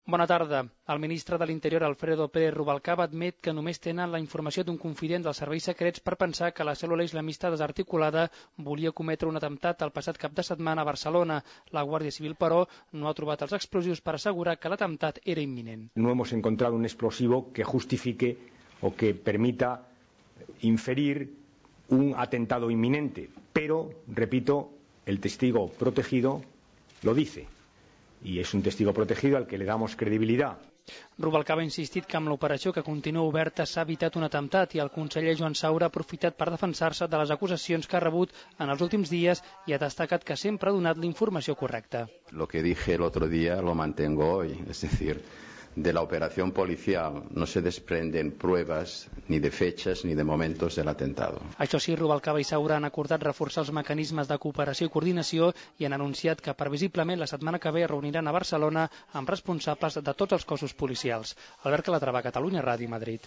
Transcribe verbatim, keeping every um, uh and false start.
Bona tarda. El ministre de l'Interior, Alfredo Pérez Rubalcaba, admet que només tenen la informació d'un confident dels serveis secrets per pensar que la cèl·lula islamista desarticulada volia cometre un atemptat el passat cap de setmana a Barcelona. La Guàrdia Civil, però, no ha trobat els explosius per assegurar que l'atemptat era imminent. No hemos encontrado un explosivo que justifique o que permita inferir un atentado inminente, pero, repito, el testigo protegido lo dice. Y es un testigo protegido al que le damos credibilidad. Rubalcaba ha insistit que amb l'operació que continua oberta s'ha evitat un atemptat i el conseller Joan Saura ha aprofitat per defensar-se de les acusacions que ha rebut en els últims dies i ha destacat que sempre ha donat la informació correcta. Lo que dije el otro día lo mantengo hoy, es decir, de la operación policial no se desprenden pruebas ni de fechas ni de momentos del atentado. Això sí, Rubalcaba i Saura han acordat reforçar els mecanismes de cooperació i coordinació i han anunciat que previsiblement la setmana que ve reuniran a Barcelona amb responsables de tots els cossos policials. Albert Calatrava, Catalunya Ràdio, Madrid.